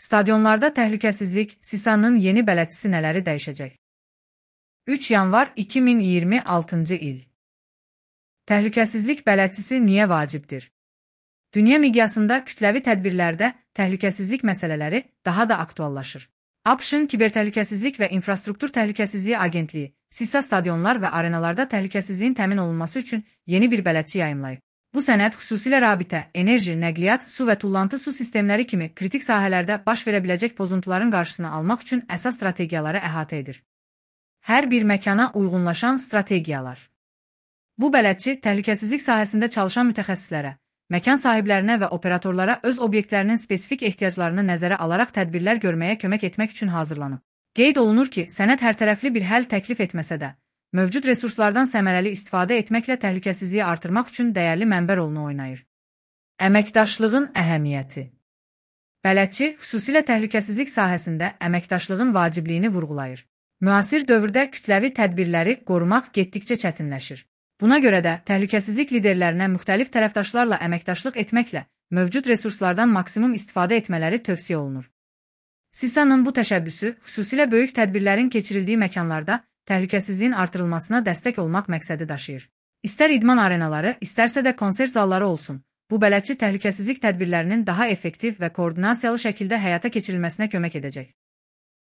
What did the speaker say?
Stadionlarda təhlükəsizlik SİSA-nın yeni bələdçisi nələri dəyişəcək? 3 yanvar 2026-cı il. Təhlükəsizlik bələdçisi niyə vacibdir? Dünya miqyasında kütləvi tədbirlərdə təhlükəsizlik məsələləri daha da aktuallaşır. ABŞ-ın Kibertəhlükəsizlik və İnfrastruktur Təhlükəsizliyi Agentliyi SİSA stadionlar və arenalarda təhlükəsizliyin təmin olunması üçün yeni bir bələdçi yayımlayıb. Bu sənəd xüsusilə rabitə, enerji, nəqliyyat, su və tullantı su sistemləri kimi kritik sahələrdə baş verə biləcək pozuntuların qarşısını almaq üçün əsas strategiyaları əhatə edir. Hər bir məkana uyğunlaşan strategiyalar. Bu bələdçi təhlükəsizlik sahəsində çalışan mütəxəssislərə, məkan sahiblərinə və operatorlara öz obyektlərinin spesifik ehtiyaclarını nəzərə alaraq tədbirlər görməyə kömək etmək üçün hazırlanıb. Qeyd olunur ki, sənəd hərtərəfli bir həll təklif etməsə də, mövcud resurslardan səmərəli istifadə etməklə təhlükəsizliyi artırmaq üçün dəyərli mənbə rolunu oynayır. Əməkdaşlığın əhəmiyyəti. Bələdçi xüsusilə təhlükəsizlik sahəsində əməkdaşlığın vacibliyini vurğulayır. Müasir dövrdə kütləvi tədbirləri qorumaq getdikcə çətinləşir. Buna görə də təhlükəsizlik liderlərinə müxtəlif tərəfdaşlarla əməkdaşlıq etməklə mövcud resurslardan maksimum istifadə etmələri tövsiyə olunur. SİSA-nın bu təşəbbüsü xüsusilə böyük tədbirlərin keçirildiyi məkanlarda təhlükəsizliyin artırılmasına dəstək olmaq məqsədi daşıyır. İstər idman arenaları, istərsə də konsert zalları olsun, bu bələdçi təhlükəsizlik tədbirlərinin daha effektiv və koordinasiyalı şəkildə həyata keçirilməsinə kömək edəcək.